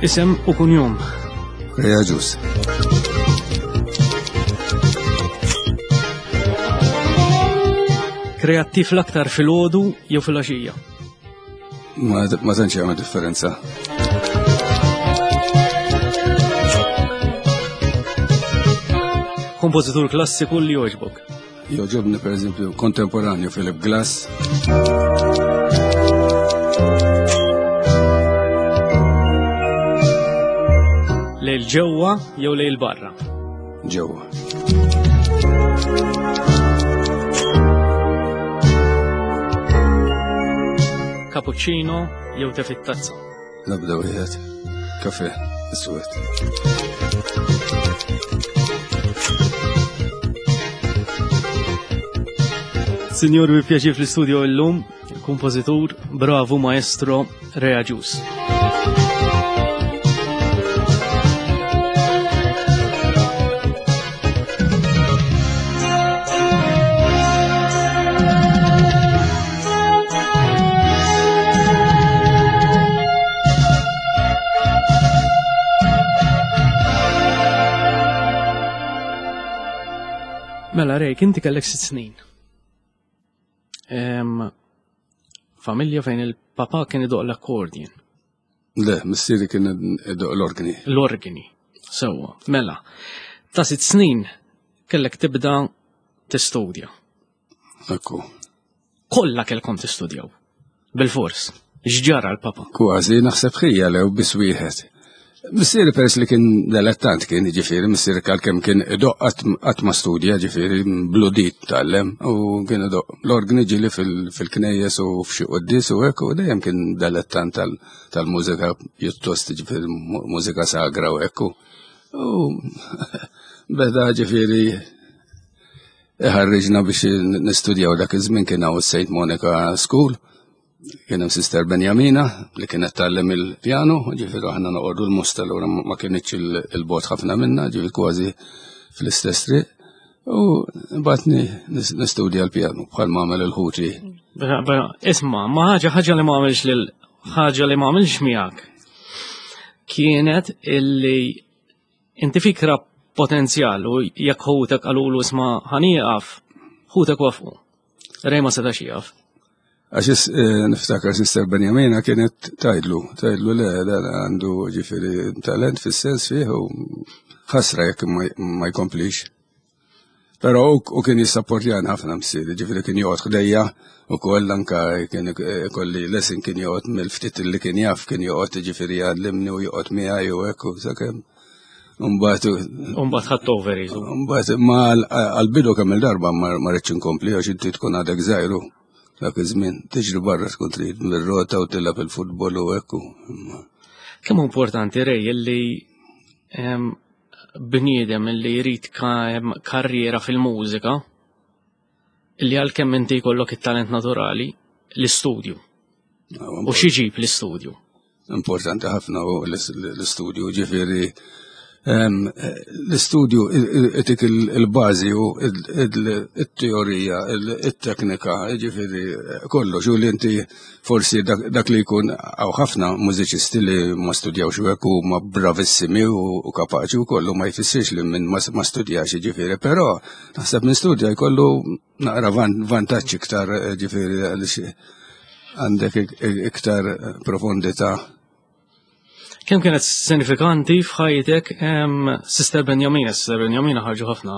Isem u kunjom. Rea Ġus. Kreattiv l-aktar fil-ħodu jew fil-għaxija? Ma, ma tantx jagħmel differenza. Kompożitur klassiku li jogħġbok? Joġobni per eżempju kontemporanju Philip Glass. Lejl ġewwa jew lejl barra? Ġewwa. Cappuccino jew te fit-tazza? Nabda wieħed. Kafe, iswed. Signor, bi pjaċir fl-istudio illum, kompożitur, bravu maestro Rea Ġus. Mela Rejk, inti kellek sitt snin. Familja fejn il-papa kien idoq l-accordion. Le, missieri kien idoq l-organi. L-organi, sewwa. Mela, ta' sitt snin kellek tibda tistudja. Ekku. Kollha kellkom tistudjaw. Bil-fors. X'ġara l-papa? Kważi naħseb ħija lew biss wieħed. Missieri peress li kien dilettant kien, ġifieri, missieri għalkemm kien idoq qatt ma studja, ġifieri, bludit tgħallem u kien idoq l-organi ġieli fil-knejjes u f'xi quddies u hekk u dejjem kien dilettant tal-mużika pjuttost ġifieri mużika sagra u hekk. U beda ġifieri iħarriġna biex nistudjaw dak iż-żmien kien hawn is-St. Monica School. Kien hemm Sister Benjamina li kienet tgħallem il-pjanu, ġifieri aħna noqogħdu l-musta allura ma kienitx il-bot ħafna minna, ġifieri kważi fl-istess triq. U batni nistudja l-pjanu bħal ma għamel il-ħuti. Isma, ma ħaġa ħaġa li ma għamilx lil ħaġa li ma għamilx miegħek kienet illi inti fikra potenzjal u jekk ħutek qalulu isma' ħanieqaf, ħutek wafqu. Rej ma setax jaf. Għax eh, niftakar Sister Benjamina kienet tajdlu, tajdlu le, dan għandu ġifiri talent fis-sens fih u ħasra jekk ma jkomplix. Pero u kien jissapportjan ħafna msieri, ġifiri kien joqgħod ħdejja u koll anka kien kolli lesson kien joqgħod mill-ftit li kien jaf kien joqgħod ġifiri jgħallimni u joqgħod miegħi u hekk u sakemm. Mbagħad Mbagħad ħadd over jisu. Mbagħad ma għall-bidu kemm il-darba ma rridx inkompli għax inti tkun għadek żgħiru dak iż-żmien tiġri barra tkun trid mir-rota u tilgħab il-futbol u hekk. Kemm importanti rej illi bniedem illi jrid karriera fil-mużika illi għalkemm inti jkollok it-talent naturali l-istudju. U xi ġib l-istudju? Importanti ħafna u l-istudju ġifieri l-istudju itik il-bażi u il-teorija, il-teknika, ġifieri kollox u li inti forsi dak li jkun hawn ħafna mużiċisti li ma studjawx u hekk huma bravissimi u kapaċi u kollu ma jfissirx li minn ma studjax ġifieri, però naħseb minn studja jkollu naqra vantaġġ iktar ġifieri għaliex għandek iktar profondità. Kemm kienet sinifikanti f'ħajtek Sister Benjamina, Sister Benjamina ħarġu ħafna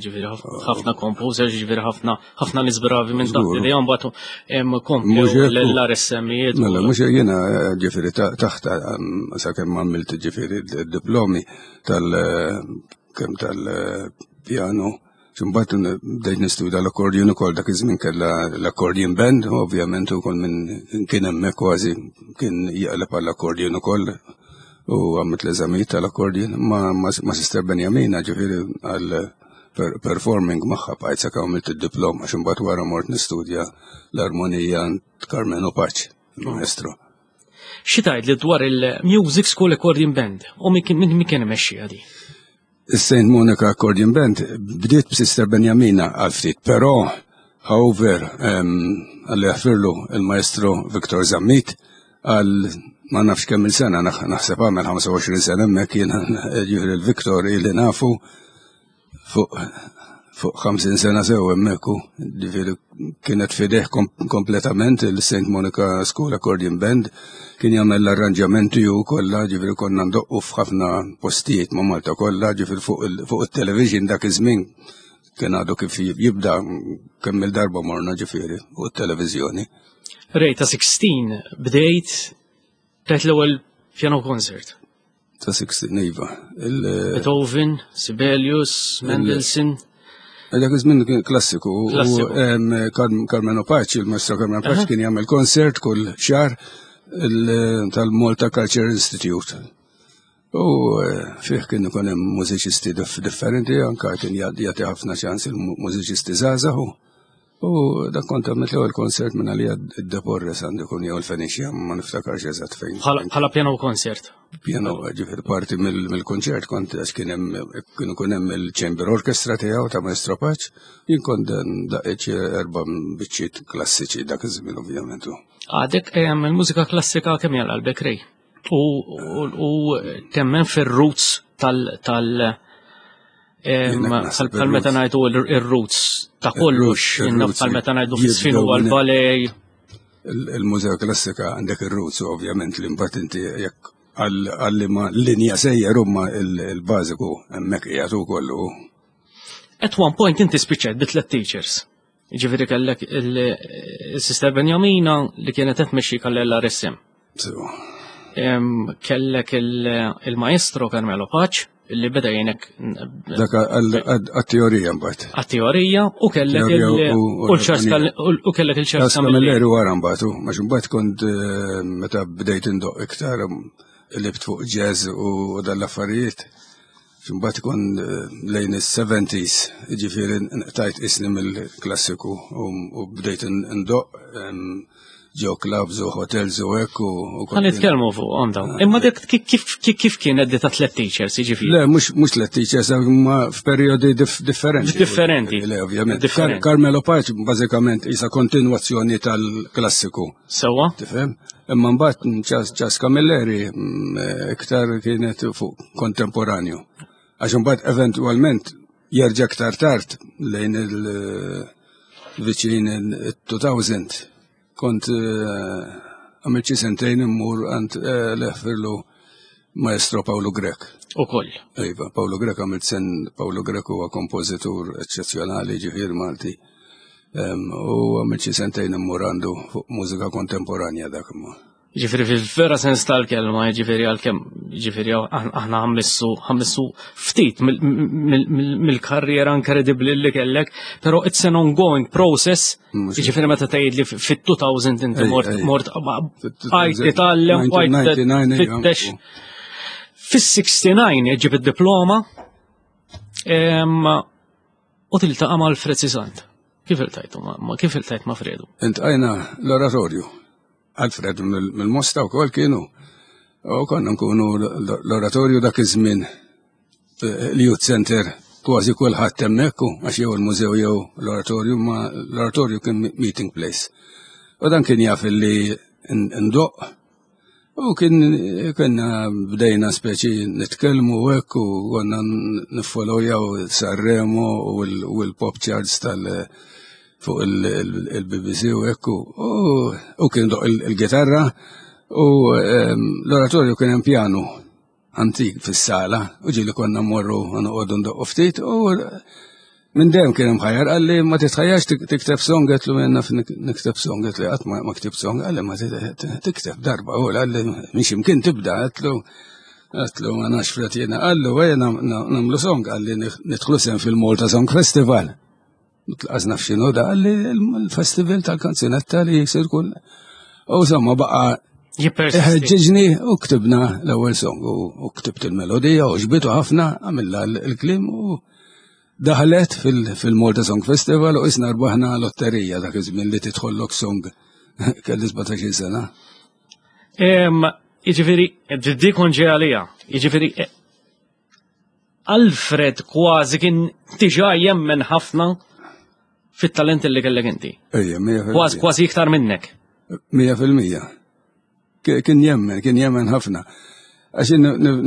ġifieri ħafna composers, ġifieri ħafna ħafna nies bravi minn taħt li mbagħad komplew l-RSM-ijiet. Mela mhux jiena ġifieri taħt sakemm għamilt ġifieri d-diplomi tal kemm tal-pjanu Imbagħad bdejt nistudja l-accordion ukoll dak iż-żmien kellha l-accordion band, ovvjament ukoll minn kien hemmhekk kważi kien jaqleb għall-accordion ukoll u għamilt l-eżamijiet tal-accordion ma, ma, ma Sister Benjamina ġifieri għal performing magħha bqajt sakemm għamilt id-diploma għax imbagħad wara mort nistudja l-armonija Carmenu Paċ, il-maestro. Xi tgħid li dwar il-Music School Accordion Band u min kien imexxi għadi? Is-St. Monica Accordion Band bdiet b'Sister Benjamina għal ftit, però however għalli jaħfirlu il-maestro Victor Zammit għal Ma nafx kemm il-sena, naħseb għamel 25 sena hemmhekk jiena ġifieri l-Viktor li nafu fuq fuq 50 sena sew hemmhekk ġifieri kienet fideh kompletament il-St. Monica School Accordion Band kien jagħmel l-arranġamenti u kollha ġifieri konna ndoqqu f'ħafna postijiet ma' Malta kollha ġifieri fuq it-television dak iż-żmien kien għadu kif jibda kemm il-darba morna ġifieri fuq it-televiżjoni. Ray, ta' 16 bdejt tajt l-ewwel piano concert. Ta' 16, iva. Beethoven, Sibelius, Mendelssohn. Dak iż-żmien kien klassiku. Carmelo Paci, il-maestro Carmelo Paci kien jagħmel concert kull xahar tal-Malta Culture Institute. U eh, fih kien ikun hemm mużiċisti differenti, anka kien jagħti ħafna ċans il-mużiċisti żgħażagħ. U dak kont għamilt l-ewwel konsert minn għalija d-Deporres għandu jkun jew il-Fenicia, ma niftakarx eżatt fejn. Bħala piano concert. Piano, ġifier parti mill-konċert kont għax kien hemm kien ikun hemm il-chamber orchestra tiegħu ta' Maestro Paċ, jien kont daqqiet erba' biċċiet klassiċi dak iż-żmien ovvjament. Għadek il-mużika klassika kemm jgħal qalbek Ray? U temmen fir-roots tal tal bħal meta ngħidu ir-roots ta' kollox, bħal meta ngħidu fis-sfin huwa l-balej. Il-mużika klassika għandek ir-roots ovvjament li mbagħad inti jekk għalli ma linja sejjer huma il-bażiku hemmhekk qiegħed ukoll. At one point inti spiċċajt bi tliet teachers. Ġifieri kellek il-Sister Benjamina li kienet qed tmexxi kall-LRSM. Kellek il-maestro Carmelo Paċ li beda jgħinek. Dak għat-teorija mbagħad. Għat-teorija u kellek u kellek il-ċars Camilleri wara mbagħad, għax mbagħad kont eh, meta bdejt indoq iktar libt fuq jazz u dal-affarijiet. Imbagħad ikun eh, lejn is-70s, ġifieri nqtajt isni mill-klassiku u bdejt ndoq ġo clubs u hotels u hekk u. Ħa nitkellmu fuq dawn. Ah. Imma dik kif kienet di ta' tliet teachers, jiġifieri? Le, mhux tliet teachers, imma f'perjodi differenti. Differenti. Le, ovvjament. Carmelo Pace bażikament isa kontinwazzjoni tal-klassiku. Sewwa. Tifhem? Imma mbagħad Ċas Camilleri mm, iktar kienet fuq kontemporanju. Għax imbagħad eventwalment jerġa' iktar tard lejn il-viċin il-2000 kont eh, għamilt xi sentejn immur għand eh, leħfirlu maestro Paolo Grek. U koll. Iva, Paolo Grek għamilt sen Paolo Grek huwa kompożitur eċċezzjonali ġifier Malti. U għamilt xi sentejn immur għandu fuq mużika kontemporanja dak imma. Ġifieri fil-vera sens tal-kelma, ġifieri għalkemm, ġifieri aħna ħammissu ħammissu ftit mill-karriera inkredibbli li kellek, però it's an ongoing process, ġifieri meta tgħid li fit-2000 inti mort mort għajt titgħallem, għajt tfittex. Fis-69 ġib id-diploma u tiltaqa' ma' Alfred Sisant. Kif iltajtu ma' kif iltajt ma' Fredu? Intqajna l-oratorju. Alfred mill-Mosta wkoll kienu. U konna nkunu l-oratorju dak iż-żmien eh, l-Youth Center kważi kulħadd hemmhekk għax jew il-mużew jew l-oratorju ma l-oratorju kien meeting place. U dan kien jaf li ndoq U kien kena bdejna speċi nitkellmu u hekk u konna niffollowjaw Sanremo u l-pop charts tal fuq il-BBC u hekk u kien doq il-gitarra u ehm, l-oratorju kien hemm pjanu antik fis-sala u ġieli konna mmorru noqogħdu ndoqqu ftit u minn dejjem kien imħajjar qalli ma titħajjarx tikteb song għetlu jien naf nikteb song għetlu qatt ma ktibt song qalli ma tikteb darba u qalli mhix imkien tibda għetlu għetlu ma nafx fret jiena qallu ejja nagħmlu song qalli nidħlu sem fil-Malta Song Festival. Tlaqas naf x'inhu da li l-festival tal-kanzunetta li jisir kull. U somma baqa' Ħeġġiġni u ktibna l-ewwel song u ktibt il-melodija u ġbitu ħafna għamilna l-klim u daħlet fil-Malta Song Festival u isna rbaħna lotterija dak iż-żmien li tidħollok song kelli 17 sena. Jiġifieri, dik ġej għalija, jiġifieri Alfred kważi kien diġà jemmen ħafna fit-talent li kellek inti. Ejja, Kważi kważi iktar minnek. 100%. Kien jemmen, kien jemmen ħafna. Għax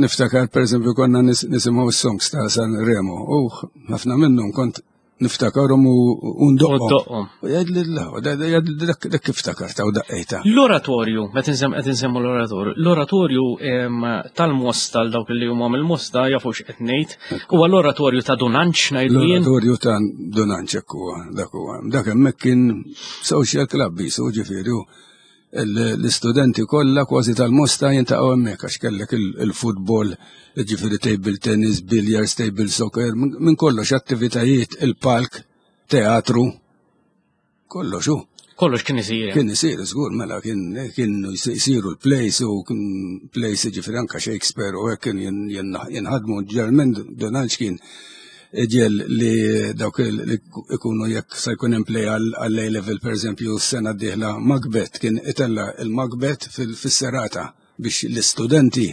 niftakar, per eżempju, konna nisimgħu s-songs ta' San Remo, u ħafna minnhom kont niftakarhom u ndoqqhom. U jgħid li dak kif ftakarta u daqqejta. L-oratorju, meta qed insemmu l-oratorju, l-oratorju tal-Mosta għal dawk li huma mill-Mosta jafu x'qed ngħid, huwa l-oratorju ta' Dunanċ ngħidu jien. L-oratorju ta' Dunanċ hekk huwa, dak huwa. Dak hemmhekk kien social club bisu ġifieri l-istudenti kollha kważi tal-Mosta jintaqgħu hemmhekk għax kellek il-futbol, ġifieri table tennis, billiards, table soccer, minn kollox attivitajiet, il-palk, teatru, kollox hu. Kollox kien isir. Kien isir, żgur, mela kien jsiru l-plays u kien plays ġifieri anka Shakespeare u hekk kien jinħadmu ġeneralment Donald kien ġel li dawk li ikunu jekk se jkun hemm play għall-A level pereżempju s-sena d-dieħla Macbeth kien itella il-Macbeth fis-serata biex l-istudenti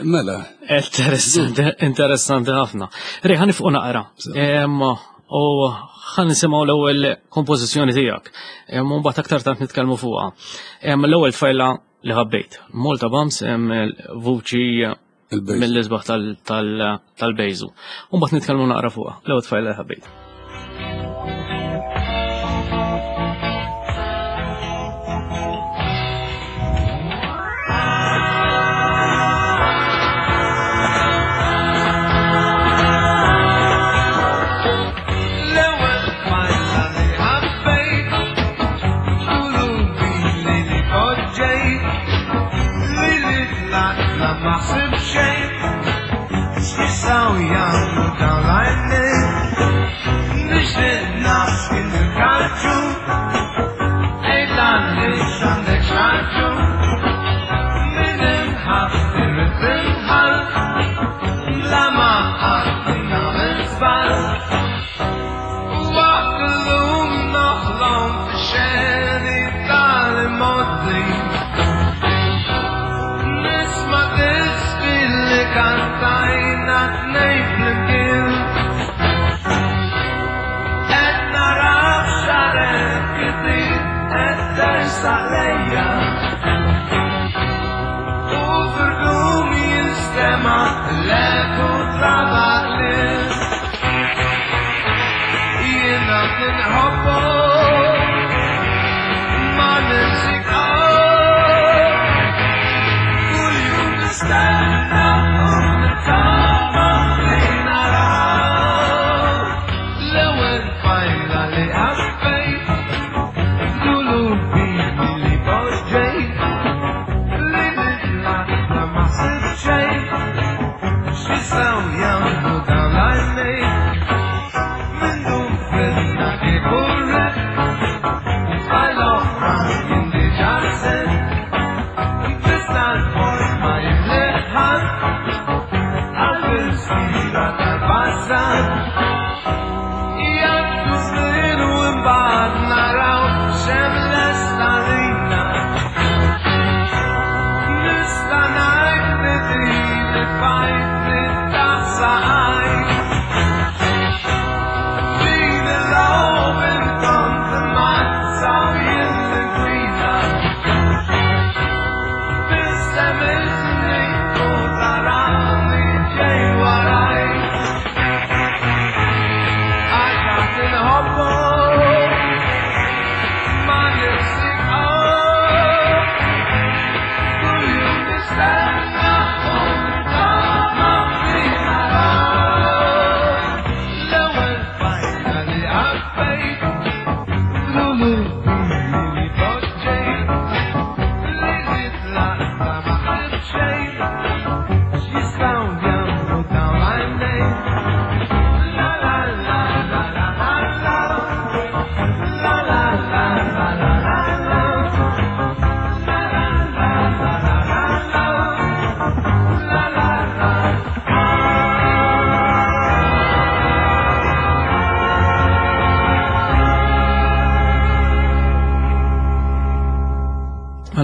Mela. Interessanti, interessanti ħafna. Ri, ħan nifqu naqra. U ħan nisimgħu l-ewwel kompożizzjoni tiegħek. Mbagħad aktar tard nitkellmu fuqha. L-ewwel tfajla li ħabbejt. Malta Bams vuċi mill-isbaħ tal-bejżu. U mbagħad nitkellmu naqra fuqha. L-ewwel tfajla li ħabbejt.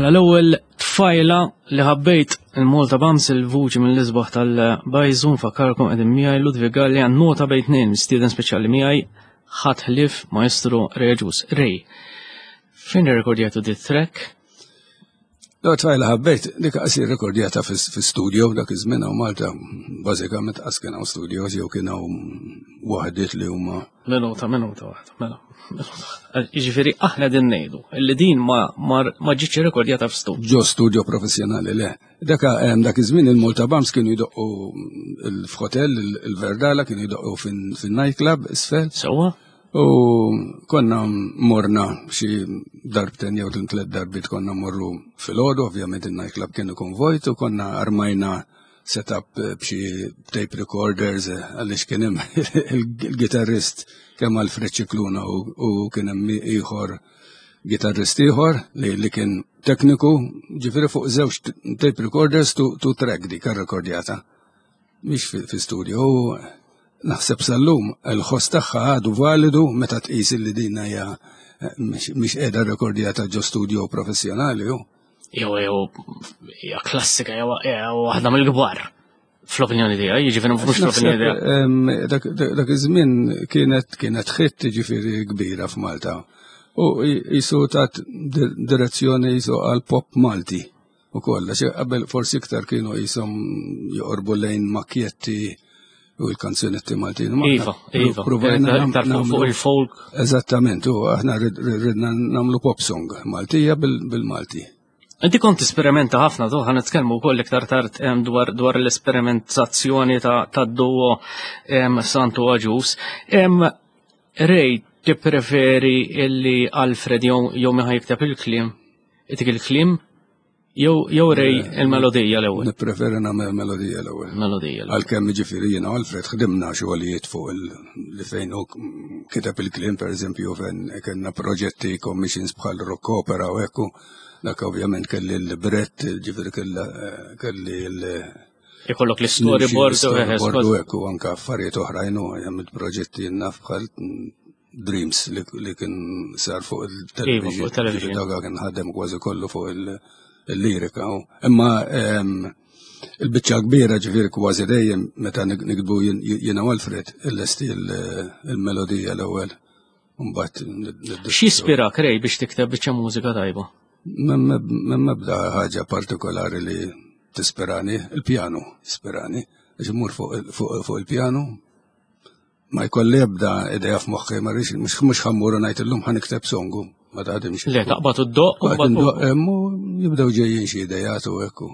Mela l-ewwel tfajla li ħabbejt il-Malta Bams il-vuċi mill-isbaħ tal-Bajżu nfakkarkom qegħdin miegħi Ludwig Gallia nota bejn tnejn mistieden speċjali miegħi ħadd ħlief Maestro Reġus. Rej, fejn irrekordjatu dit track? L-ewwel tfajla ħabbejt dik qasir rekordjata fi studio dak iż-żmien hawn Malta bażikament qas kien hawn studios jew kien hawn waħdiet li huma. Minuta, minuta waħda, mela. Jiġifieri aħna din ngħidu li din ma ma ġietx irrekordjata f'studio. Ġo studio professjonali le. Dak dak iż-żmien il-Malta Bams kienu jdoqqu f'hotel il-Verdala kienu jdoqqu fin-nightclub isfel. Sewwa. U konna morna xi darbten jew tliet darbit konna morru fil-ħodu, ovvjament il-nightclub kien ikun vojt u konna armajna setup b'xi tape recorders għaliex kien hemm il-gitarrist kemm Alfred Ċikluna u kien hemm ieħor gitarrist ieħor li, li kien tekniku, ġifieri fuq żewġ tape recorders tu track dik rekordjata. Mhix fi studio, naħseb sal-lum il-ħoss tagħha għadu validu meta tqis li din hija eh, mhix qiegħda rekordjata ġo studio professjonali hu. Jew jew hija klassika jew waħda mill-kbar fl-opinjoni tiegħi, jiġifieri mhux fl-opinjoni tiegħi. Dak iż-żmien kienet kienet ħitt jiġifieri kbira f'Malta. U jisu tat direzzjoni jisu għal pop Malti. U koll, għax qabel forsi iktar kienu jisom joqorbu lejn makjetti u l-kanzunetti Maltin. Iva, iva. Provajna fuq il-folk. Eżattament, u aħna ridna namlu pop song Maltija bil-Malti. Inti kont esperimenta ħafna, tu ħan nitkellmu wkoll iktar tard dwar, dwar l-esperimentazzjoni ta' duo Santu Aġus. Rej, tippreferi illi Alfred jew miħa jikteb il-kliem Itik il-kliem jew jew rej il-melodija l-ewwel. Nippreferi nagħmel melodija l-ewwel. Melodija. Għalkemm jiġifieri jiena Alfred ħdimna xogħlijiet fuq li fejn hu kiteb il-kliem pereżempju fejn kellna proġetti commissions bħal rock opera u hekk dak ovvjament kelli l-librett, ġifieri kelli l Ikollok l-storyboard u hekk u anke affarijiet oħrajn u għamilt proġetti naf bħal Dreams li kien sar fuq il-television. Iva, dak kien ħadem kważi kollu fuq il-lirika. Imma ehm, il-biċċa kbira ġifieri kważi dejjem meta nikbu jiena Alfred il-lesti il-melodija l-ewwel. Mbagħad. X'jispira Rej biex tikteb biċċa mużika tajba? M'hemm ebda ħaġa partikolari li tispirani, il-pjanu jispirani, għax immur fuq il-pjanu, ma jkolli ebda idea f'moħħi, ma rridx mhux ħammur u ngħid illum ħa nikteb songu, ma taħdimx. Le, taqbad u ddoq u ddoq hemm u jibdew ġejjin xi idejat u hekk.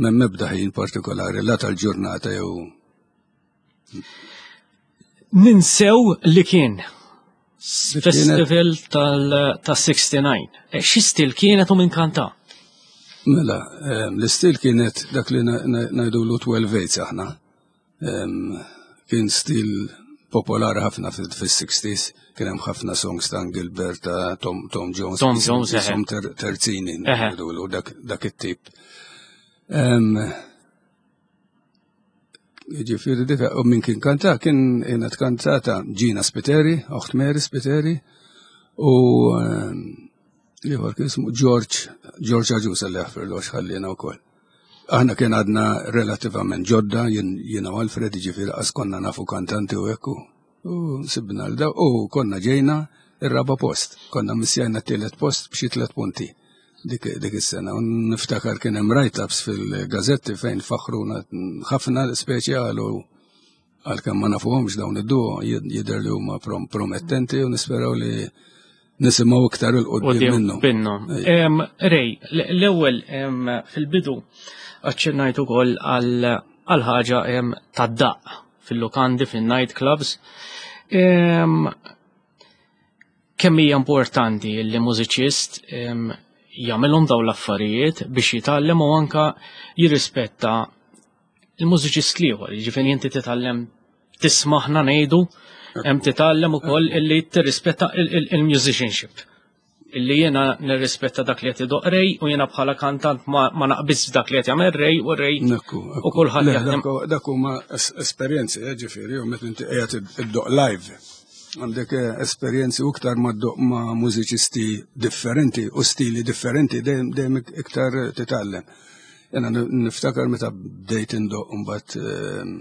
M'hemm ebda ħin partikolari la tal-ġurnata jew Ninsew li kien festival tal-69. Eh, xi stil kienet u minn kanta? Mela, eh, l-istil kienet dak li ngħidulu 12 eights aħna. Kien stil popolari ħafna fis-60s, kien hemm ħafna songs ta' Gilbert, ta' Tom, Tom Jones. Tom Jones, eh. terzini, ngħidulu dak, dak it-tip. Ġifieri dik u min kien kanta kien kienet kantata Gina Spiteri, oħt Mary Spiteri, u ieħor kien ismu George, George Aġusa li jaħfirlu għax ħallina wkoll. Aħna kien għadna relattivament ġodda, jiena u Alfred, ġifieri qas konna nafu kantanti u hekk u sibna l u konna ġejna ir-raba post. Konna missjajna t-tielet post b'xi tliet punti dik, dik is-sena. U niftakar kien hemm write-ups fil-gazetti fejn faħruna ħafna speċi għalu għalkemm ma nafuhomx dawn id-duo jidher li huma promettenti u nisperaw li nisimgħu iktar il-qudiem minnhom. Minnhom. Rej, l-ewwel fil-bidu aċċennajt ukoll għal ħaġa tad-daqq fil-lukandi, fin-night clubs. Kemm hija importanti li mużiċist jagħmilhom dawn l-affarijiet biex jitgħallem u anka jirrispetta il-mużiċist l-ieħor, jiġifieri inti titgħallem tismaħna ngħidu, hemm titgħallem ukoll illi tirrispetta il-musicianship. Illi jiena nirrispetta dak li qed idoq rej u jiena bħala kantant ma naqbiż dak li qed jagħmel rej u rej u kulħadd jaħdem. Dak huma esperjenzi, eh, ġifieri, u meta inti qiegħed iddoq live. Għandek eh, esperjenzi u iktar ma ddoq ma' mużiċisti differenti u stili differenti dejjem iktar titgħallem. Jena niftakar meta bdejt indoq mbagħad ehm,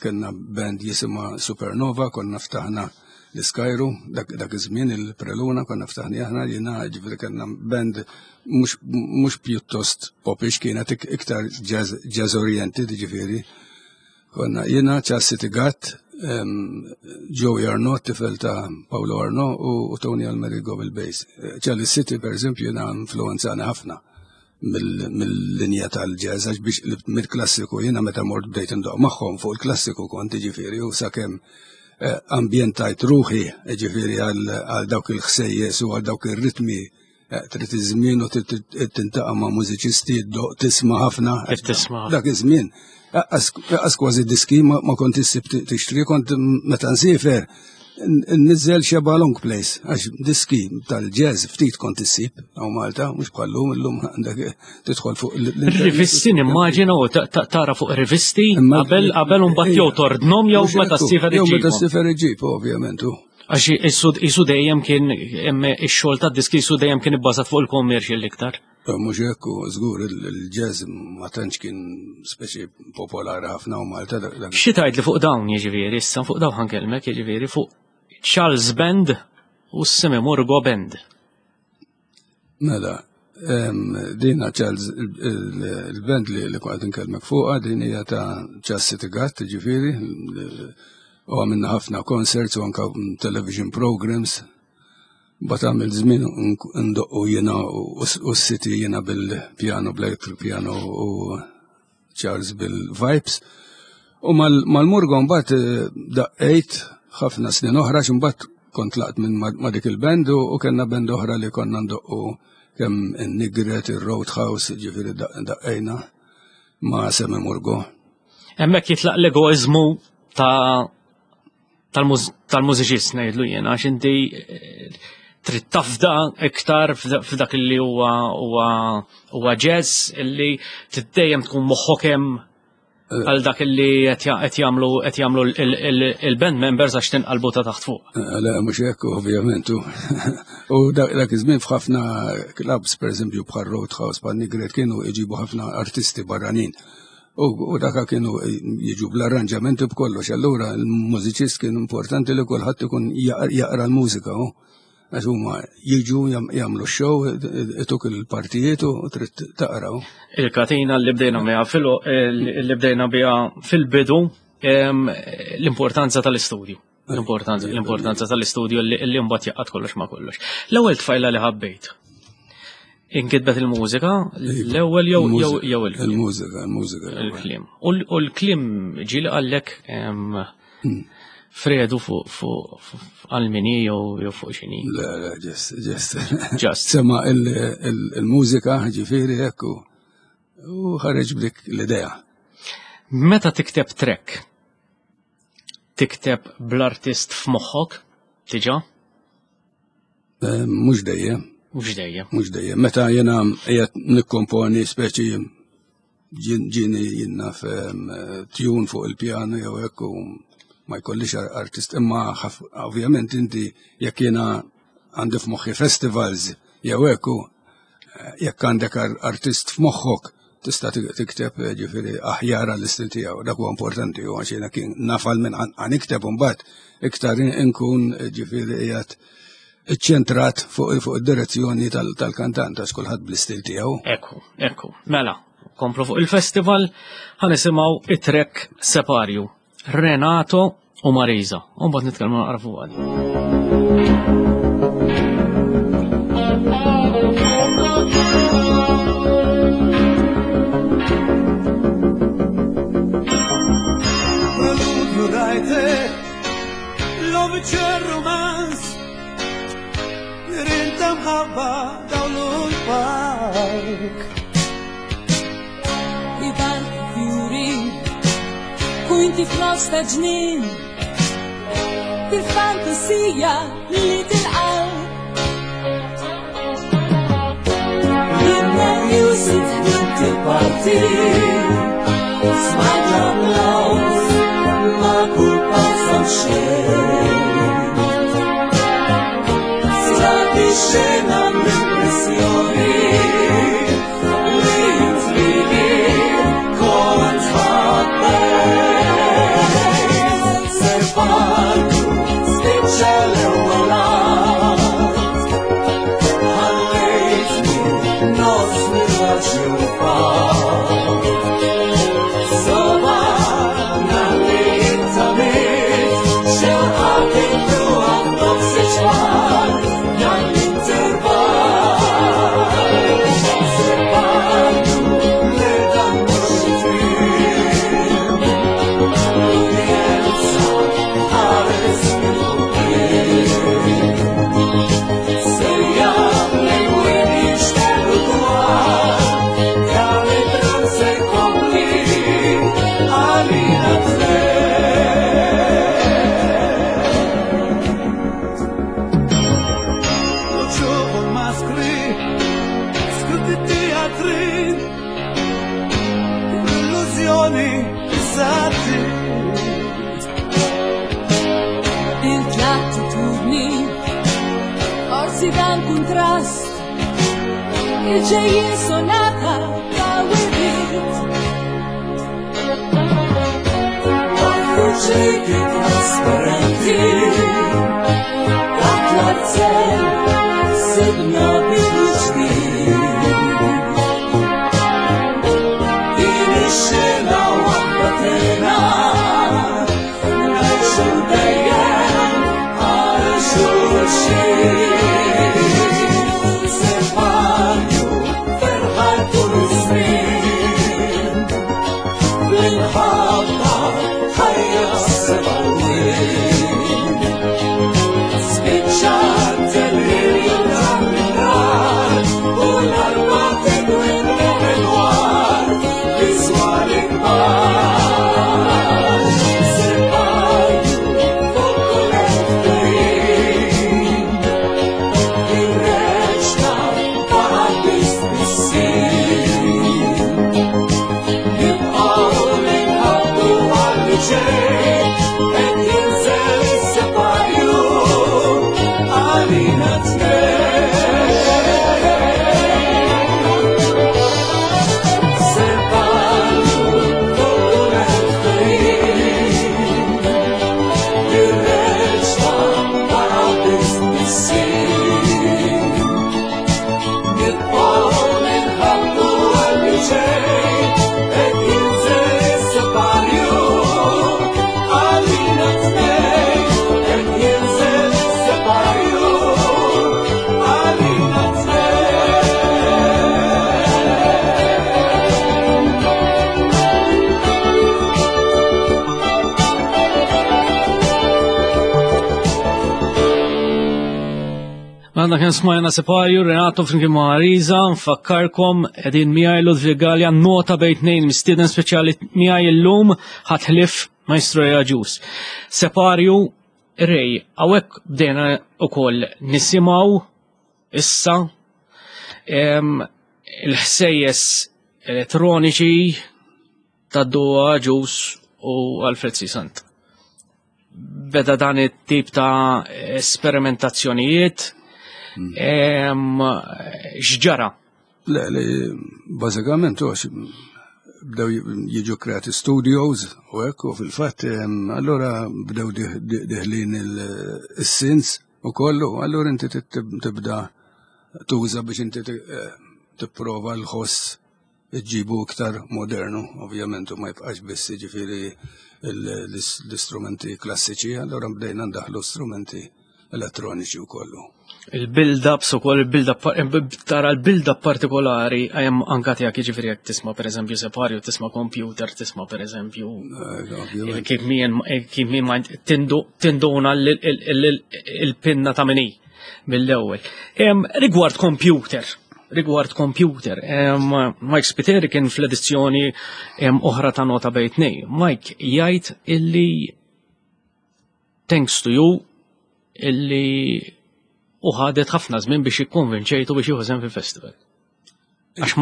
kellna band jisimha Supernova, konna ftaħna l-Iskajru, dak iż-żmien il-Preluna konna ftaħni aħna jiena ġifieri kellna band mhux pjuttost popish kienet iktar jazz oriented ġifieri. Konna jiena Charles City Gatt, Joey Arnaud, tifel ta' Paolo Arnaud u Tony Almerigo bil-bass. Charlie City, per eżempju, jiena influenzani ħafna mill-linja tal-jazz, għax biex mill-klassiku jiena meta mort bdejt indoq magħhom fuq il-klassiku kont ġifieri u sakemm eh, ambjentajt ruħi ġifieri għal dawk il-ħsejjes u għal dawk ir-ritmi eh, trid iż-żmien u tintaqa' ma' mużiċisti tisma' ħafna. Tisma' Dak iż-żmien. Għas kważi diski ma kont issib tixtri, kont meta nsifer nizzel xeba long place, għax diski tal-jazz ftit kont issib għaw Malta, mux bħallum, illum għandek tidħol fuq Rivisti nimmaġina u tara fuq rivisti qabel qabel un jew tordnom jew meta s-sifer Jew meta s-sifer iġib, ovvjament. Għax isu dejjem kien ix-xogħol tad-diski isu dejjem kien ibbażat fuq il-commercial iktar. Mhux hekk, żgur il-jazz ma tantx kien speċi popolari ħafna u Malta. Xi tgħid li fuq dawn jiġifieri issa fuq dawn ħankellmek jiġifieri fuq Charles Band u Simi Murgo Band. Mela, dina Charles il-band li kont inkellmek fuqha din hija ta' Charles City Gatt, jiġifieri, u għamilna ħafna concerts u anka television programs. Bat għamil żmien ndoqqu jiena u s-City jiena bil-piano, bl-electric piano u Charles bil-vibes. U mal-Murgo mbagħad eh, daqqejt ħafna snin oħra x'imbagħad kont laqt minn ma' dik il-band u kellna band oħra li konna ndoqqu kemm in-Nigret, ir-Roadhouse, ġifieri daqqejna ma' Semi Murgo. Hemmhekk jitlaq l-egoiżmu ta' tal-mużiċist ngħidlu jien għax inti eh, trid tafda iktar f'dak li huwa huwa jazz illi dejjem tkun moħħok hemm eh. għal dak li qed jagħmlu qed jagħmlu il-band members għax tinqalbu ta' taħt fuq. Eh, le mhux hekk ovvjament. U dak iż-żmien f'ħafna clubs pereżempju bħal Roadhouse bħal Nigret kienu jġibu ħafna artisti barranin. U daka kienu jiġu bl-arranġamenti b'kollox, allura l-mużiċist kien importanti li kulħadd ikun jaqra l-mużika. Għax huma jiġu jagħmlu x-show, ituk il-partijiet u trid taqra. Il-katina li bdejna biha li bdejna biha fil-bidu l-importanza tal-istudju. L-importanza, l-importanza tal-istudju li mbagħad jaqgħad kollox ma' kollox. L-ewwel tfajla li ħabbejt. Inkitbet il-mużika, l-ewwel jew jew jew il-mużika, il-mużika. Il-kliem. U l-kliem ġieli qallek hmm. Fredu fuq għal-mini jew fuq xini. Le, le, ġest, ġest. Ġest. Sema il-mużika ġifieri hekk u ħareġ b'dik l-idea. Meta tikteb track, Tikteb bl-artist f'moħħok, diġà? Eh, mhux dejjem. Mhux dejjem. Mhux dejjem. Meta jiena qiegħed nikkomponi speċi ġini jinnaf tune fuq il-pjanu jew hekk u ma jkollix artist imma ovvjament inti jekk jiena għandi f'moħħi festivals jew hekk jekk għandek artist f'moħħok tista' tikteb eh, ġifieri aħjar għall-istil tiegħu. Dak huwa importanti u għax jiena kien nafal minn għan ikteb imbagħad iktar inkun eh, ġifieri qiegħed iċċentrat fuq fuq id-direzzjoni tal-kantant għax kulħadd bl-istil tiegħu. Ekku, ekku. Mela, komplu fuq il-festival ħanisimgħu it-trek Separju. Renato u Marisa. U mbagħad nitkellmu naqra fuq għadi. Romance Rinta mħabba dawlu l-park Ivan fjuri U inti f'nofs ta' ġnien Fil-fantasija li tilqaw Jibna music inti parti Smajt l-applaus ma kull pass xejn Strati xena l-impressjoni li intrigi kont ħabbejt. Se palku spiċċa L-attitudni forsi dan kuntrast il-ġejjin sonata ta' wirid. Ċiki trasparenti, Atlarzel, sidna bidu ġdid. Din ix-xena waħda tena, ngħixu dejjem għal xulxin. Separju ferħat tul iż-żmien, bl-imħabba ħajja sebgħin. Spiċċat il-ħin tan-nar u l-arma tidwi dwar biżwar ikbar. Separju fuq kull ftehim, ir-reċta baqgħet biss tbissim. Nibqgħu ninħabbu għal ġej, qed jinżel is-separju għalina tnejn. Separju fuq kull ftehim, ir-reċta baqgħet biss tbissim. Nibqgħu ninħabbu għal ġej, qed jinżel is-separju għalina tnejn, qed jinżel is-separju għalina tnejn. Għandna kien smajna separju, Renato flimkien ma' Marisa, nfakkarkom qegħdin miegħi Ludwig Galea, nota bejn tnejn mistieden speċjali miegħi illum ħatħlif Maestro Agius. Separju, Ray, hawnhekk bdejna ukoll nisimgħu issa il-ħsejjes elettroniċi ta' Duo Agius u Alfred C. Sant. Beda dan it-tip ta' esperimentazzjonijiet, x'ġara? Le, le, bażikament għax bdew jiġu kreati studios u hekk u fil-fatt allura bdew diħlin il-sins u kollu, allura inti tibda tuża biex inti tipprova l-ħoss iġġibu iktar modernu, ovvjament, u ma jibqax biss jiġifieri l-istrumenti klassiċi, allura bdejna ndaħlu strumenti elettroniċi u kollu. Il-build-ups u koll, il-build-up, tara l-build-up partikolari, għajem anka tiegħek jiġifieri jekk tisma' per eżempju Separju, tisma' computer, tisma' per eżempju Ovvjament. kif min, kif min ma tinduna il-pinna ta' mini mill-ewwel. Rigward computer, rigward computer, Mike Spiteri kien fl-edizzjoni oħra ta' Nota bejn tnejn. Mike jgħid illi thanks to you illi u ħadet ħafna żmien biex jikkonvinċejtu biex jieħu sehem fil-festival. Għax u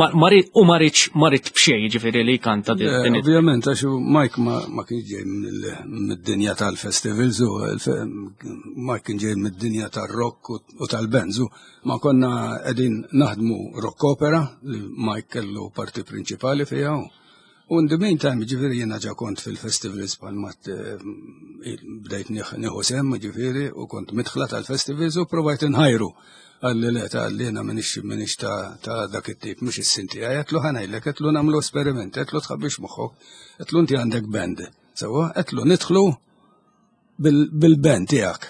ma rid b'xejn, jiġifieri li jkanta din it- Ovvjament, għax Mike ma kienx ġej mid-dinja tal-festivals, u Mike kien ġej mid-dinja tal-rock u tal-bands, u ma konna qegħdin naħdmu rock opera li Mike kellu parti prinċipali fiha. U in the meantime, ġifieri jiena ġa kont fil-festivals bħal bdejt nieħu sehem, ġifieri, u kont midħla tal-festivals u provajt inħajru. Għalli le, ta' għalli jiena minix ta' dak it-tip, mhux is-sinti. Għedtlu ħa ngħidlek, għedtlu nagħmlu esperiment, għedtlu tħabbix moħħok, għedtlu inti għandek band. Sewwa, għedtlu nidħlu bil-band tiegħek.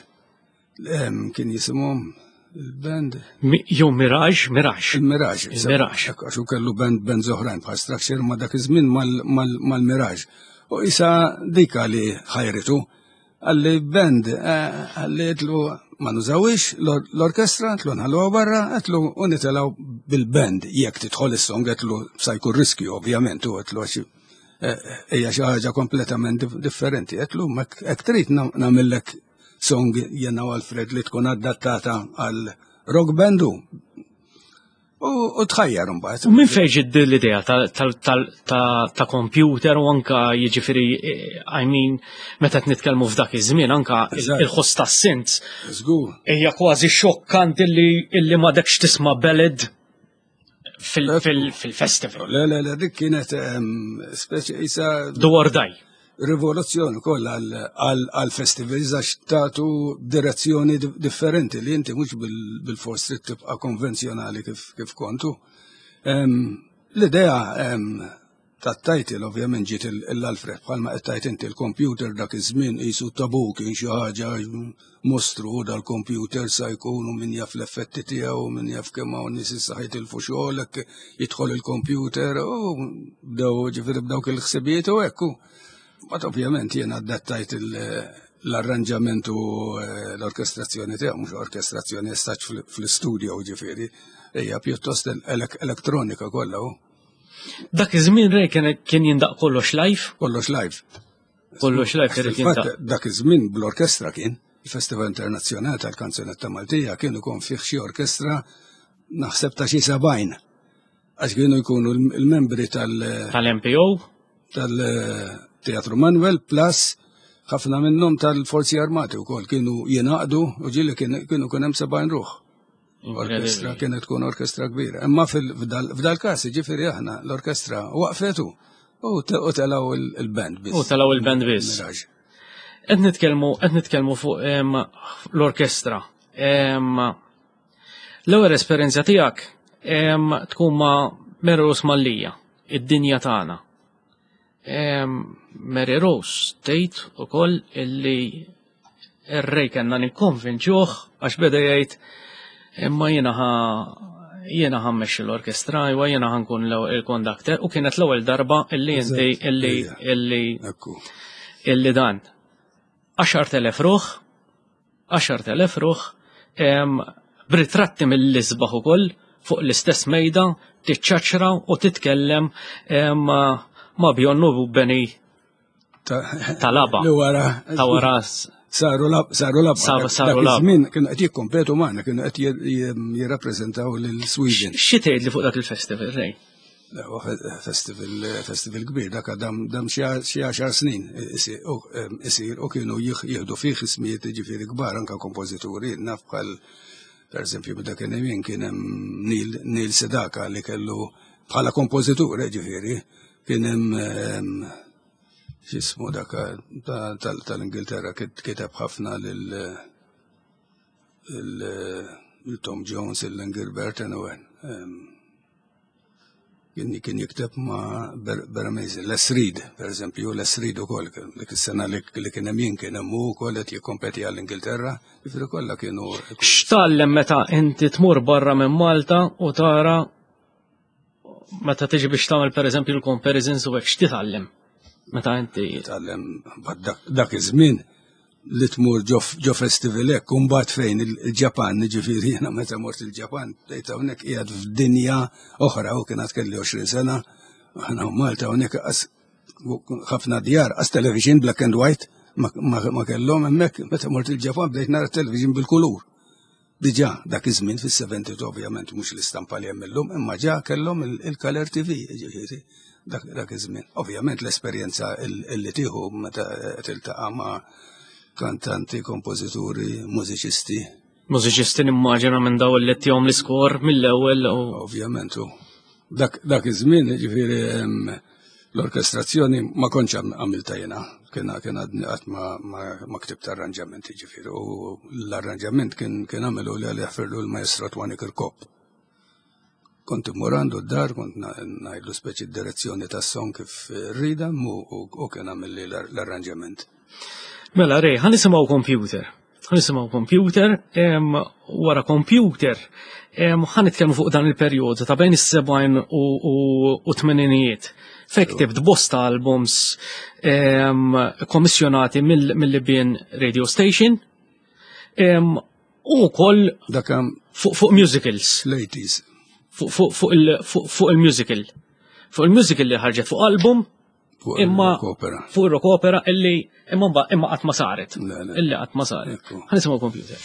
Kien jisimhom il-band. Jew Mirage, Mirage. Il-Mirage. Il-Mirage. Ekk, għax hu kellu band oħrajn bħal Structure ma dak iż-żmien mal-Mirage. U isa dika li ħajritu, għalli band, għalli għedtlu ma nużawix l-orkestra, għedtlu nħalluha barra, għedtlu u nitelaw bil-band, jekk tidħol is-song, għedtlu sa jkun riskju, ovvjament, u għedtlu għax hija xi ħaġa kompletament differenti, għedtlu ma hekk trid nagħmellek song jena u Alfred li tkun adattata għal rock bandu. U tħajjar imbagħad. U minn fejn ġiet l-idea ta' computer u anka jiġifieri eh, I mean meta qed nitkellmu f'dak iż-żmien anka il-ħoss tas-synths. Żgur. Hija kważi xokkanti illi m'għadekx tisma' ballad fil-festival. Le, le, le, dik kienet ehm, speċi isa. Do or die. Rivoluzzjoni kollha għal-festivals għax tagħtu direzzjoni differenti li inti mhux bil-fors trid tibqa' konvenzjonali kif kontu. Ehm, l-idea ehm, tat-title ovvjament ġiet l-Alfred bħalma qed tgħid inti l-computer dak iż-żmien qisu tabu kien xi ħaġa mostru dal-computer sa jkunu min jaf l-effetti tiegħu min jaf kemm hawn nies issa ħajtilfu xogħolek jidħol il-computer u bdew ġifieri b'dawk il-ħsibijiet u hekk. Mbagħad ovvjament jiena adattajt l-arranġament u eh, l-orkestrazzjoni tiegħu mhux orkestrazzjoni estaċ fl-istudio ġifieri, hija pjuttost elektronika kollha. Dak iż-żmien Ray kien jindaq kollox live? Kollox live. Kollox live irid jindaq. Dak iż-żmien bl-orkestra kien, il-Festival Internazzjonali tal-Kanzunetta Maltija kien ikun fih xi orkestra naħseb ta' xi 70. Għax kienu jkunu l-membri tal- Tal-MPO? Tal-Teatru Manuel plus ħafna minnhom tal-Forzi Armati wkoll kienu jingħaqdu u ġieli kienu kien hemm 70 ruħ. Orkestra kienet tkun orkestra kbira. Imma f'dal każ ġifieri aħna l-orkestra waqfetu u telgħu il-band biss. U telgħu il-band biss. Qed nitkellmu qed nitkellmu fuq l-orkestra. L-ewwel esperjenza tiegħek tkun ma' Mary Rose Mallia, id-dinja tagħna. Mary Rose tgħid ukoll illi ir-Ray kellna nikkonvinċuh għax beda jgħid imma jiena ħa jiena ħa mmexxi l-orkestra, iwa jiena ħa nkun il-conductor u kienet l-ewwel darba illi inti illi illi illi dan. 10,000 ruħ 10,000 ruħ b'ritratti mill-isbaħ ukoll fuq l-istess mejda tiċċaċra u titkellem ma' Bjorn u Benny tal-ABBA. Li wara. Ta' wara. Saru lab, saru lab. Saru lab. Żmien kienu qed jikkompetu magħna, kienu qed jirrappreżentaw lil Sweden. Xi tgħid li fuq dak il-festival, Ray? Festival, festival kbir, dak dam, dam xi għaxar snin isir u kienu jieħdu fih ismijiet ġifieri kbar anka kompożituri, naf bħal per eżempju meta kien hemm kien hemm Neil, Neil Sedaka li kellu bħala kompożitur ġifieri kien hemm x'ismu dak tal-Ingilterra kiteb ħafna lil Tom Jones, il-Gilbert, anyway. Kien jikteb ma' Ber Amazing. Les Reed, per eżempju, Les Reed ukoll, dik is-sena li kien hemm jien kien hemm hu wkoll qed jikkompeti għall-Ingilterra, jiġifieri kollha kienu. X'tgħallem meta inti tmur barra minn Malta u tara meta tiġi biex tagħmel pereżempju l-comparisons u hekk x'titgħallem? Meta inti. Titgħallem dak iż-żmien li tmur ġo festival hekk, u mbagħad fejn il-Ġapan, jiġifieri jiena meta mort il-Ġapan, bdejt hawnhekk qiegħed f'dinja oħra u kien għad kelli 20 sena, aħna Malta hawnhekk ħafna djar, qas television black and white ma kellhom hemmhekk, meta mort il-Ġapan bdejt nara television bil-kulur. Diġà dak iż-żmien fis-70 ovvjament mhux l-istampa li hemm illum, imma ġa kellhom il-color TV, jiġifieri dak iż-żmien. Ovvjament l-esperjenza li tieħu meta tiltaqa' ma' kantanti, kompożituri, mużiċisti. Mużiċisti nimmaġina minn daw li tihom l-iskor mill-ewwel u. Ovvjament u dak iż-żmien jiġifieri L-orkestrazzjoni ma kontx għamilta jiena, kien kien għadni qatt ma ktibt arranġament jiġifieri u l-arranġament kien kien għamilu li għalih firlu l-maestro Twani Kirkop. Kont immur għandu d-dar, kont ngħidlu speċi d-direzzjoni tas-song kif rridha u kien għamilli l-arranġament. Mela Ray, ħa nisimgħu computer. Nisimgħu computer, wara computer, ħa nitkellmu fuq dan il-perjodu ta' bejn is-70 u tmeninijiet. Fejn ktibt bosta albums kommissjonati mill-Libyan Radio Station u wkoll fuq musicals. L-80s. Fuq il-musical. Fuq il-musical li ħarġet fuq album Imma fuq rock opera illi imma imma qatt ma saret. Illi qatt ma saret. Ħa nisimgħu computer.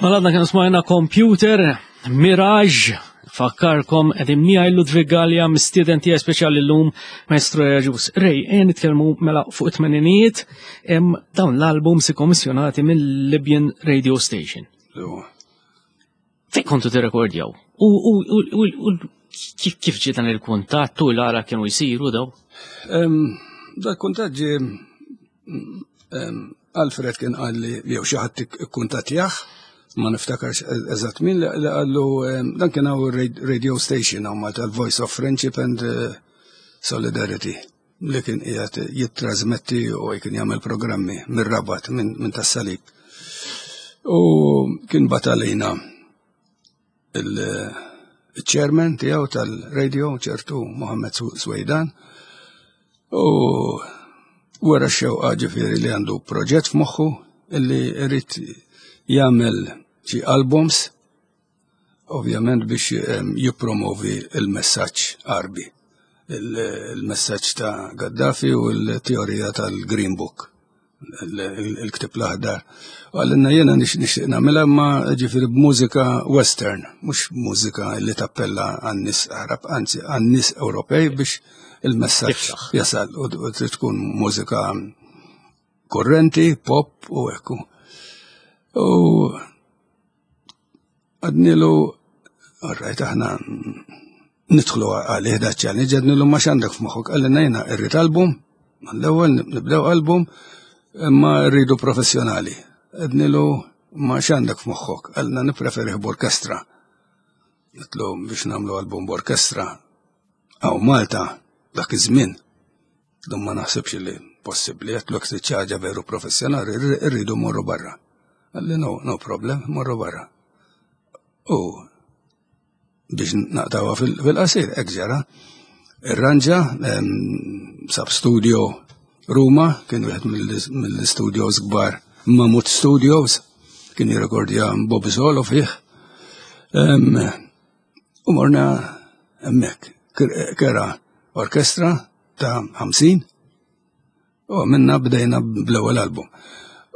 Mela għadna kienu smajna Computer, Mirage, fakkarkom qegħdin miegħi Ludwig Gallia, mistieden tiegħi speċjali llum Maestro Jaġus. Rej, ejja nitkellmu mela fuq it-tmeninijiet hemm dawn l-albums ikkommissjonati mill-Libyan Radio Station. Fejn kontu tirrekordjaw? U kif ġie dan il-kuntatt u l-għala kienu jsiru daw? Dak kuntatt ġie Alfred kien qalli jew xi ħadd ikkuntattjah, ma niftakarx eżatt min li qallu dan kien hawn radio station hawn Malta l-Voice of Friendship and eh, Solidarity li kien qiegħed jittrażmetti u kien jagħmel programmi mir-Rabat minn tas-Salib. U kien batalina il-chairman tiegħu tal-radio ċertu Mohammed Swejdan u wara x-xewqa ġifieri li għandu proġett f'moħħu illi jrid jagħmel xi albums ovvjament biex ehm, jippromovi il-messaġġ Arbi, il-messaġġ ta' Gaddafi u l-teorija tal-Green Book il-ktib l-aħdar. Għallinna jena nixtieq nagħmilha ma ġifieri b'mużika western, mhux mużika li tappella għan-nies Arab, anzi għan-nies Ewropej biex il-messaġġ jasal u trid tkun mużika kurrenti, pop u ekku. U Għadnilu, rajt aħna nidħlu għalih da challenge, għadnilu ma x'għandek f'moħħok, għalli jiena irrid album, l-ewwel nibdew album, imma rridu professjonali. Għadnilu ma x'għandek f'moħħok, għalna nippreferi b'orkestra. Għedtlu biex nagħmlu album b'orkestra. Hawn Malta dak iż-żmien. Dum ma naħsibx li possibbli, għedtlu jekk trid xi ħaġa veru professjonali, irridu morru barra. Qalli no, no problem, morru barra. U biex naqtawha fil-qasir, hekk ġara. Irranġa, sab studio Ruma, kien wieħed mill-studios kbar, Mamut Studios, kien jirrekordja Bob Zolo fih. U morna hemmhekk, kera orkestra ta' 50 u minna bdejna bl-ewwel album.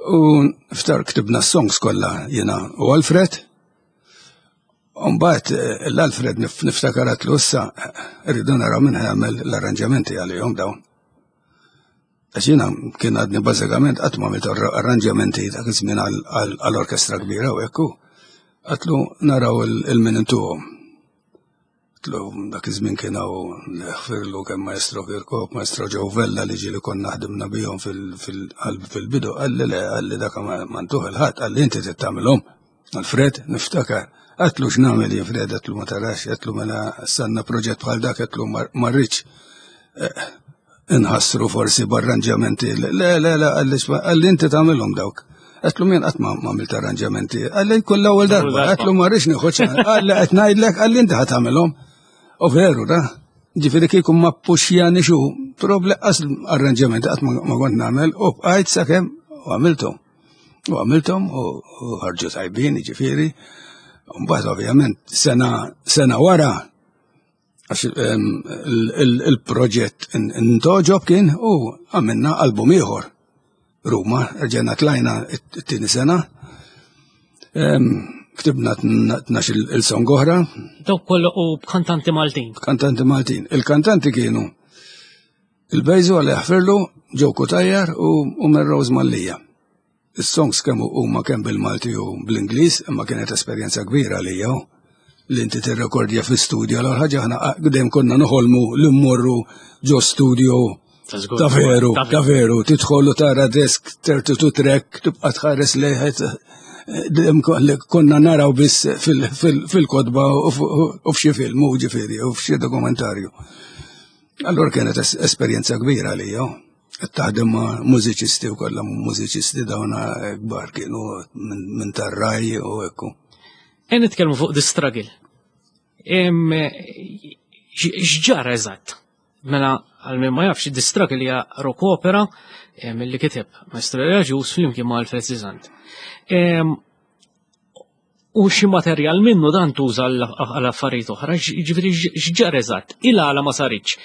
U ftar ktibna s-songs kollha jiena u Alfred. Mbagħad eh, l-Alfred niftakar għatlu issa rridu naraw minn ħamel l-arranġamenti għalihom dawn. Għax jiena kien għadni bażikament qatt ma għamilt arranġamenti dak iż-żmien għall-orkestra kbira u hekk Għatlu naraw il-min intuhom. Għatlu dak iż-żmien kien hawn ħfirlu kemm Maestro Kirkop, Maestro Joe Vella li ġieli konna ħdimna bihom fil-bidu, qalli le, qalli dak ma ntuh il-ħadd, qalli inti trid tagħmilhom. Alfred, niftakar, għatlu x'nagħmel jien Fred, għatlu ma tarax, għatlu mela sanna proġett bħal dak, għatlu ma rridx eh, inħassru forsi b'arranġamenti. Le, le, le, għalli inti tagħmilhom dawk. Għatlu min qatt ma għamilt arranġamenti. Għalli kull ewwel darba, għatlu ma rridx nieħu għalli qed ngħidlek għalli inti ħa tagħmilhom. U veru, da. Ġifieri kieku ma puxjani xu, proble qas arranġamenti qatt ma kont nagħmel u bqajt sakemm u għamilthom. U għamilthom u ħarġu tajbin, ġifieri. Mbagħad ovvjament sena sena wara għax il-proġett intoġob kien u għamilna album ieħor. Ruma, rġajna tlajna t-tieni sena. Ktibna 12 il-song oħra. Dawk kollu u b'kantanti Maltin. Kantanti Maltin. Il-kantanti kienu il-Bejżu għal jaħfirlu, Joe Cutajar u Melrose Mallia. Is-songs kemm huma kemm bil-Malti u bl-Ingliż, imma kienet esperjenza kbira għalija li inti tirrekordja fi studio l ħaġa aħna dejjem konna noħolmu li mmorru ġo studio ta' veru, ta' veru, tidħol u tara desk 32 track, tibqa' tħares lejħet konna naraw biss fil-kotba u f'xi film, u ġifieri, u f'xi dokumentarju. Allora kienet esperjenza kbira għalija. Qed taħdem ma' mużiċisti u kollha mużiċisti dawn kbar kienu minn tar-raj u ekku. E nitkellmu fuq the struggle. X'ġara eżatt? Mela għal min ma jafx the struggle hija rock opera li kiteb Maestro Agius flimkien ma' Alfred Zizant. U xi materjal minnu dan tuża għal affarijiet oħra, ġifieri x'ġar eżatt, il-għala ma saritx.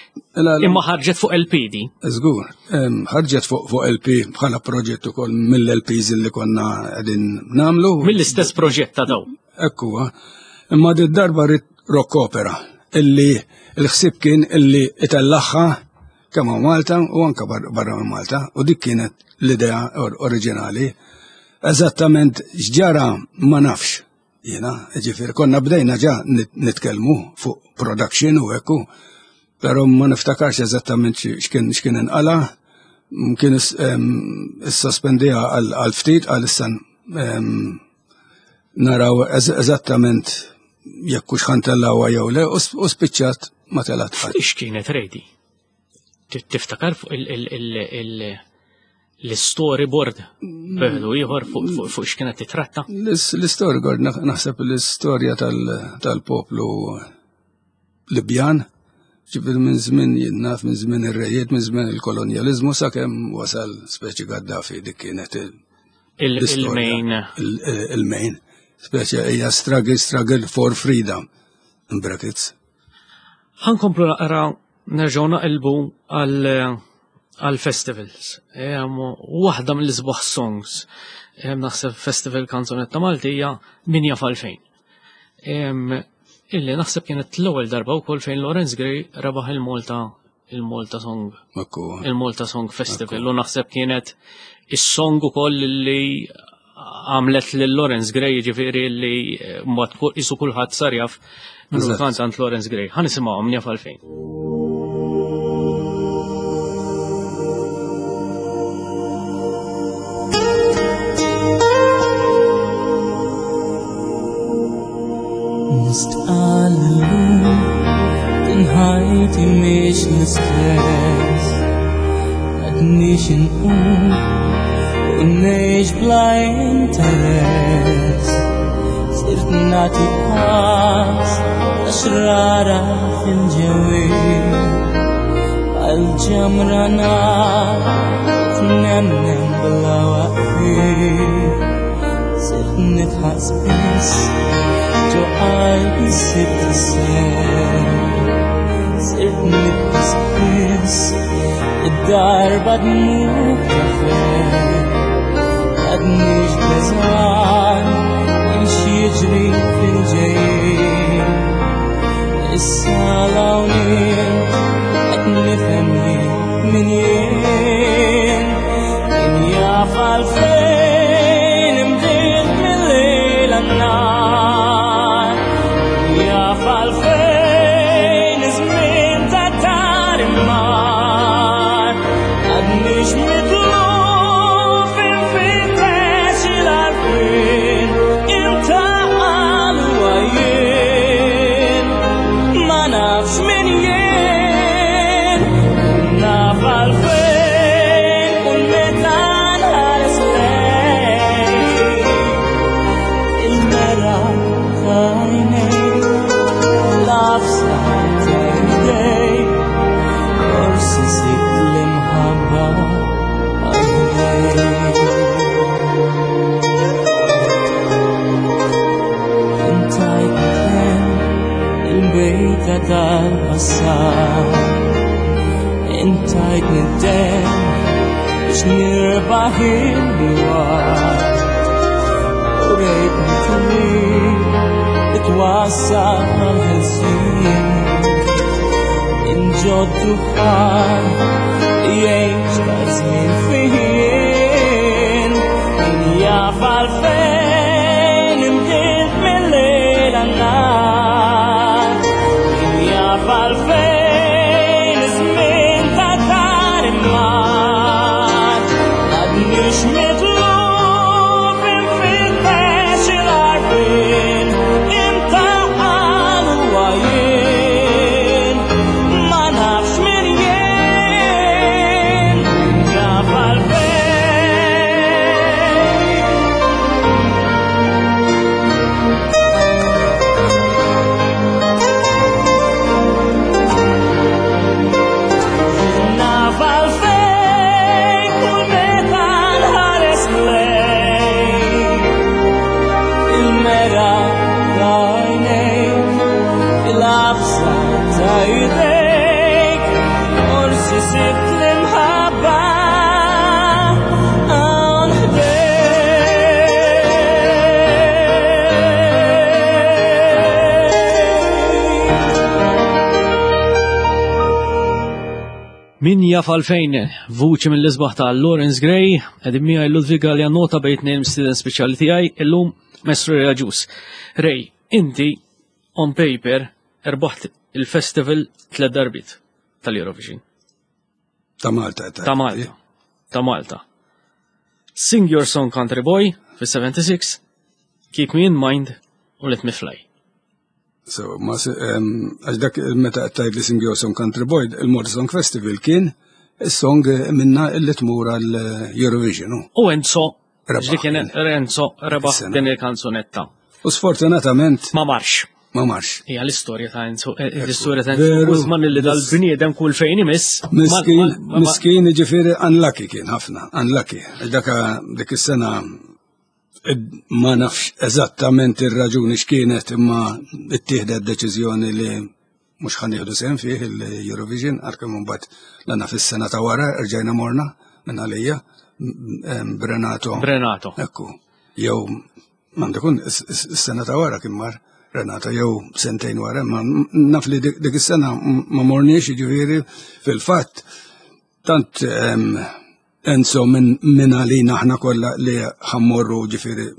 Imma ħarġet fuq LP di. Żgur, ħarġet fuq LP bħala proġett ukoll mill-LPs li konna qegħdin nagħmlu. Mill-istess proġett ta' daw. Ekku, imma di darba rrid rock opera illi l-ħsieb kien illi itellaħħa kemm hawn Malta u anke barra minn Malta u dik kienet l-idea oriġinali. Eżattament x'ġara ma nafx jiena, ġifieri konna bdejna ġa nitkellmu fuq production u hekk, però ma niftakarx eżattament x'kien x'kien inqala, kien issospendiha għal ftit għal issa naraw eżattament jekk hux ħantellawha jew le u spiċċat ma telgħet qatt. Ix kienet ready? Tiftakar fuq l-storyboard beħdu ieħor fuq x'kienet titratta? L-storyboard naħseb l-istorja tal-poplu Libjan, ġifieri minn żmien jien naf minn żmien ir-rejiet, minn żmien il-kolonjaliżmu sakemm wasal speċi Gaddafi dik kienet il-main. Il-main. Speċi hija struggle, struggle for freedom in brackets. Ħankomplu naqra nerġgħu naqilbu għal festivals. Waħda mill-isbaħ songs naħseb festival kanzunetta Maltija min jaf għalfejn. Illi naħseb kienet l-ewwel darba wkoll fejn Lawrence Gray rebaħ il-Malta il-Malta Song. Il-Malta Song Festival u naħseb kienet is-song ukoll li għamlet lil Lawrence Gray ġifieri li eh, mbagħad isu kulħadd sar jaf minnu kantant Lawrence Gray. Ħa nisimgħuhom jaf għalfejn. Nistqal l-lum din ħajti mhix l-istess Għadnix inqum u ngħix bla interess Sirt nagħti pass għax rara fil-ġewwin Għal ġamra nar nemnem bla waqfien Sirt nidħaq spiss ġo qalbi sirt isser Sirt nibki spiss id-darba dmug ta' ferħ Għadnix beżgħan minn x'jiġri fil-ġejjin Issa l-hawn qed nifhem jien min jien Min jaf għalfejn imdiet mill-lejl għan-nhar Min jaf għalfejn iż-żmien ta' tar imar Għadnix mitluf infittex il-għarfien Intaqal u għajjien Ma nafx min jien Naf għalfejn kull meta nħares lejk Il-mera ta' għajnejk L-għafsa ta' idejk Forsi sibt l-imħabba għajnejk Intajt kemm il-bejta tal-passat Intajt nid-dem biex nirbaħ il-waqt U rejtni triq li twassal għall-ħelsien Inġod duħan li jgħix ta' żmien fih Min jaf għalfejn imdiet mill-lejl għan-nhar Min jaf għalfejn iż-żmien ta' dar imar Għadnix mitluf infittex il-għarfien Intaqal u għajjien Ma nafx min jien Min jaf għalfejn Naf għalfejn kull meta nħares lejk Il-mera ta' għajnejk Il-għafsa ta' idejk Forsi sibt l-imħabba hawn ħdejk. Min jaf għalfejn vuċi mill-isbaħ ta' Lawrence Gray, qegħdin miegħi Ludwig Galea nota bejn tnejn student speċjali tiegħi illum Maestro Ray Agius. Ray, inti on paper erbaħt il-festival tliet darbiet tal-Eurovision. Ta' Malta. Ta' Malta. Ta' Malta. Sing Your Song Country Boy fis-76, Keep Me in Mind u Let Me Fly. So, ma għax dak meta qed tgħid li Sing Your Song Country Boy, il-Malta Song Festival kien is-song minna illi tmur għal Eurovision. hu. U Enzo, Rebaħ ġli kien Renzo rebaħ Is-sena. din il-kanzunetta. U sfortunatament Ma marx. ma marx. Hija l-istorja ta' Enzo, eh, l-istorja ta' Enzo Veru. Guzman li dal-bniedem kull fejn imiss. ma- Miskin, ma- ma- miskin ġifieri unlucky kien ħafna, unlucky. Għax Daka dik is-sena ma nafx eżattament ir-raġuni x'kienet imma ittieħdet deċiżjoni li mhux ħa nieħdu sehem fih il-Eurovision għalkemm imbagħad lana fis-sena ta' wara rġajna morna minn għalija Brenato. Brenato. Ekku, jew m'għandu kun is-sena ta' wara kien mar Renato jew sentejn wara, ma naf li dik is-sena ma morniex jiġifieri fil-fatt tant. Enzo minn min għalina aħna kollha li ħa mmorru ġifieri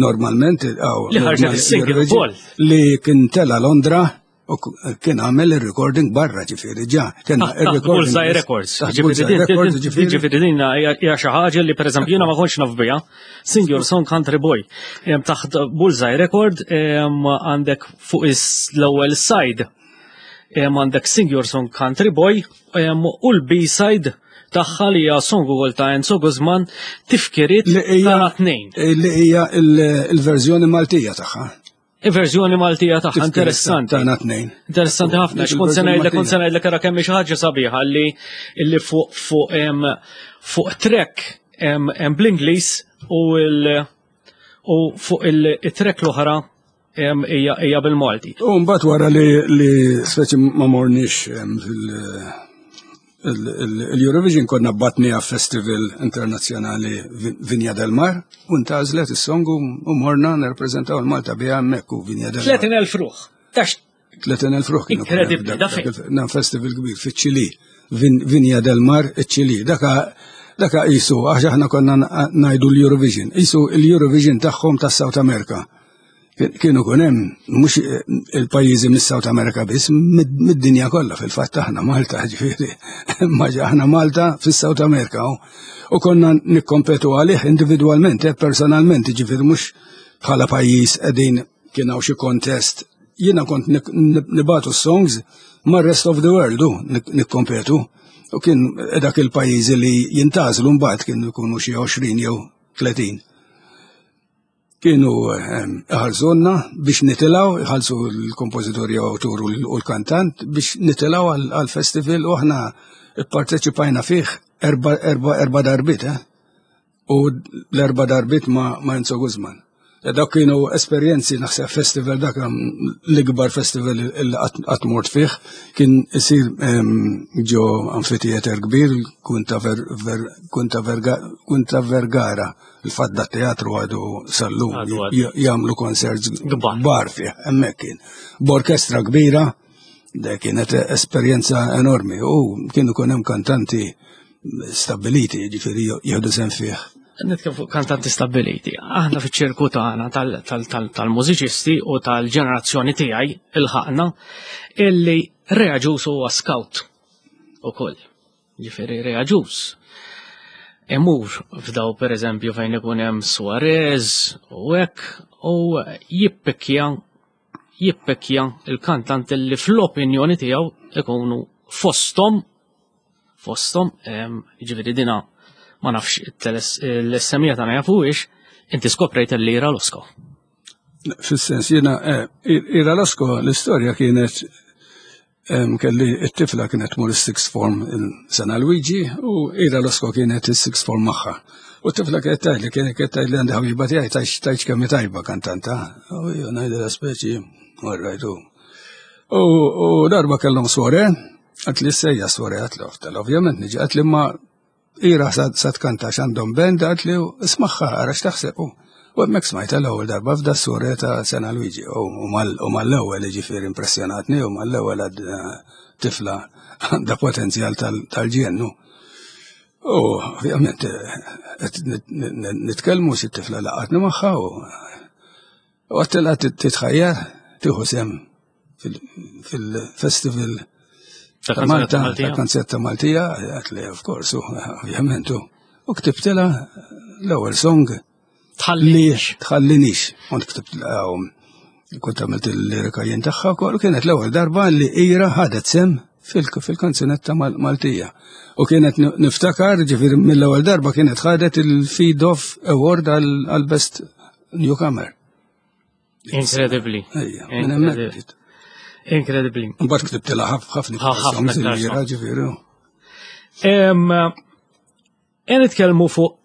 normalment li ħarġet is-single ukoll. Li kien tela Londra u kien għamel il-recording barra ġifieri ġa. Kien ah, ah, il-recording. Bullseye Records. Ġifieri din hija xi ħaġa li pereżempju jiena ma kontx naf biha. Sing Your Song Country Boy. Taħt Bullseye Record għandek fuq l-ewwel side għandek Sing Your Song Country Boy u l-B-side tagħha li hija song ukoll ta' Enzo Guzman tifkiriet ta' tnejn. Li hija il-verżjoni Maltija tagħha. Il-verżjoni Maltija tagħha interessanti. Tagħna tnejn. Interessanti ħafna, x'kont se ngħidlek kont se ngħidlek ara kemm xi ħaġa sabiħa li li fuq fuq fuq track hemm bl-Ingliż u l u fuq il-track l-oħra hija bil-Malti. U mbagħad wara li li speċi ma morniex fil- il-Eurovision konna batni festival internazzjonali Vinja del Mar u ntgħażlet is-song u morna nirrappreżentaw il-Malta biha hemmhekk u Vinja del Mar. 30,000 ruħ. Tax 30,000 ruħ kienu. Inkredibbli, da fejn. Dan festival kbir fiċ-Ċili, Vinja del Mar, iċ-Ċili. Daka daka qisu għax aħna konna ngħidu l-Eurovision, qisu l-Eurovision tagħhom tas-South America. Kienu kun hemm mhux il-pajjiżi mis-South America biss, mid-dinja kollha fil-fatt aħna Malta ġifieri. Ma aħna Malta fis-South America u konna nikkompetu għalih individwalment, eh, personalment, ġifieri mhux bħala pajjiż qegħdin kien hawn xi kontest. Jiena kont nibatu songs mar-rest of the world u nikkompetu. U kien dak il-pajjiżi li jintgħażlu mbagħad kienu jkunu xi 20 jew 30. Kienu ehm, iħallsuna biex nitilgħu, iħallsu l-kompożitur jew awtur u l-kantant biex nitilgħu għal-festival u aħna pparteċipajna fih erba, erba, erba darbit, eh? U l-erba darbit ma, ma Enzo Guzman. E dak kienu esperjenzi naħseb festival dak l-ikbar festival li qatt mort fih kien isir ehm, ġo amfiteater kbir Kunta Vergara. Il-fatt da teatru għadu sal-lum jagħmlu concerts kbar fih, hemmhekk kien. B'orkestra kbira, da kienet esperjenza enormi u kienu kun hemm kantanti stabiliti, ġifieri jieħdu sehem fih. Nitkellem fuq kantanti stabiliti. Aħna fiċ-ċirku tagħna tal-mużiċisti u tal-ġenerazzjoni tiegħi ilħaqna illi Rea Agius huwa scout ukoll. Ġifieri Rea Agius imur f'daw pereżempju fejn ikun hemm Suarez u hekk u jippikkja jippikkja il-kantant li fl-opinjoni tiegħu ikunu fosthom fosthom ġifieri dina ma nafx l-SMija tagħna jafuhiex inti skoprejt l-Ira Losco. Fis-sens jiena eh, Ira Losco l-istorja kienet Kelli it-tifla kienet tmur is-sixth form il-Sena Luigi u Ira Losco kienet is-sixth form magħha. U t-tifla kienet tgħidli kienet tgħidli għandi ħabiba tiegħi tgħidx kemm tajba kantanta. U jien ngħidilha speċi, all right. U darba kellhom swore, għat li sejja swore għat li ovvjament niġi għat li ma Ira sa tkanta x'għandhom band għat li ismagħha ara x'taħseb u. U hemmhekk smajtha l-ewwel darba f'da s-sura ta' Sena Luigi u mal-ewwel jiġifieri impressjonatni u mal-ewwel għad eh, tifla għandha potenzjal tal-ġennu. U ovvjament eh, qed nitkellmu xi tifla laqatni magħha u għattilha titħajjar tieħu sem fil-festival ta' Malta, ta' kanzetta Maltija, għat li, of course, ovvjament, u ktibtila l-ewwel song Tħallinix. Tħallinix. Kont ktibtila kont għamilt il-lirika jien tagħha wkoll kienet l-ewwel darba li Ira ħadet sem fil-kanzunetta Maltija. U kienet niftakar, ġifieri mill-ewwel darba kienet ħadet il-Feed Off Award għal-Best Newcomer. Incredibly. Incredibly. Mbagħad ktibtilha ħafna ħafna ġifieri. E nitkellmu fuq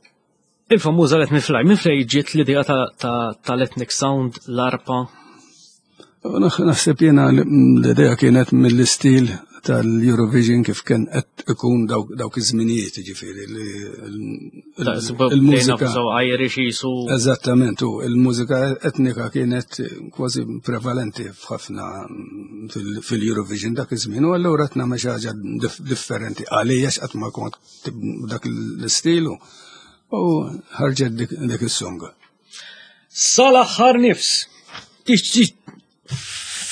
il-famuża Let Me Fly. Minn fej ġiet l-idea tal-Ethnic Sound, l-arpa? Naħseb jiena l-idea kienet mill-istil tal-Eurovision kif kien qed ikun dawk iż-żminijiet ġifieri li il-mużika Irish jisu. Eżattament, u il-mużika etnika kienet kważi prevalenti f'ħafna fil-Eurovision dak iż-żmien u allura qed nagħmel xi ħaġa differenti għalija x'qatt ma kont dak l-istilu u ħarġet dik is-songa. Sal-aħħar nifs.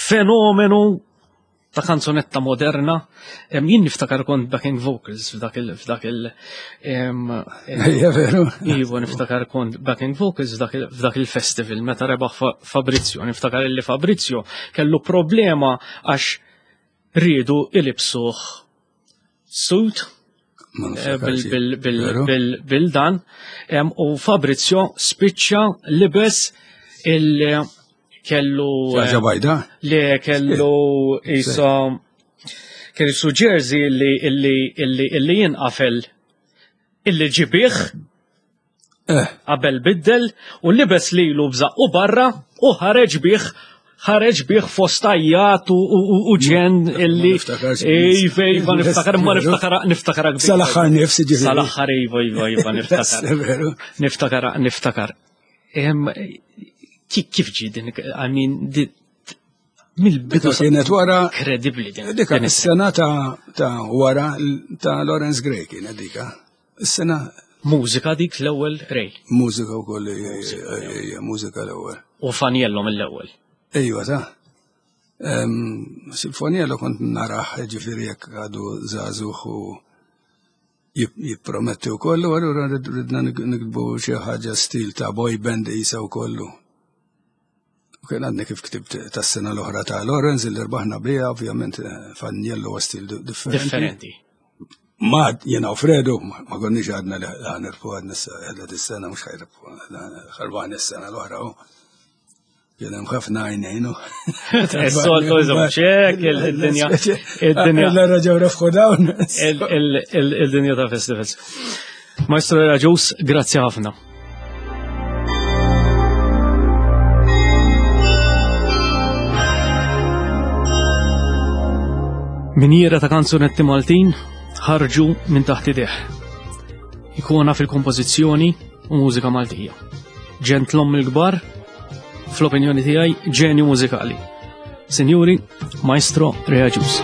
Fenomenu ta' kanzunetta moderna. Jien niftakar kont backing vocals f'dak il f'dak il Ejja veru. Iva niftakar kont backing vocals f'dak il-festival meta rebaħ Fabrizio. Niftakar illi Fabrizio kellu problema għax riedu ilibsuh suit eh, bil-dan u Fabrizio spiċċa libes il- kellu. Ħaġa bajda? Le kellu isa kellu su jersey illi illi illi illi jinqafel illi ġibih eh. qabel biddel u libes lilu bżaqqu barra u ħareġ bih ħareġ bih fost ajjat u ġen illi. Iva, iva, niftakar, ma niftakar, niftakar. Sal-axħar nifsi ġifieri. Sal-axħar, iva, iva, iva, niftakar. Niftakar, niftakar. Kif ġi din, I mean, mill-bidu kienet wara. Kredibli din. Dika is-sena ta' wara ta' Lawrence Gray kienet dika. Is-sena. Mużika dik l-ewwel Ray. Mużika wkoll mużika l-ewwel. U Faniello mill-ewwel. Ejwa ta' Sinfoniello kont naraħ ġifieri jekk għadu żagħżugħ u jipprometti u kollu, allura ridna nikbu xi ħaġa stil ta' boy band isa u kollu. U kien għadni kif ktibt tas-sena l-oħra ta' Lorenz li rbaħna biha, ovvjament eh, Faniello huwa stil differenti. Differenti. Ma jena u Fredu, ma konniex għadna li ħanirfu għadna s-sena, mux ħajrfu, ħarbaħna s-sena l-oħra. Kien hemm ħafna għajnejn. Is-soltu ċek il-dinja. Id-dinja. L-ra ġew refħu dawn. Il-dinja ta' festivals. Maestro Raġus, grazzi ħafna. Minjiera ta' kanzunetti Maltin ħarġu minn taħt ideh. Ikona fil-kompożizzjoni u mużika Maltija. Ġentlom il-kbar, fl-opinjoni tiegħi ġenju mużikali. Sinjuri, Maestro Reaġus.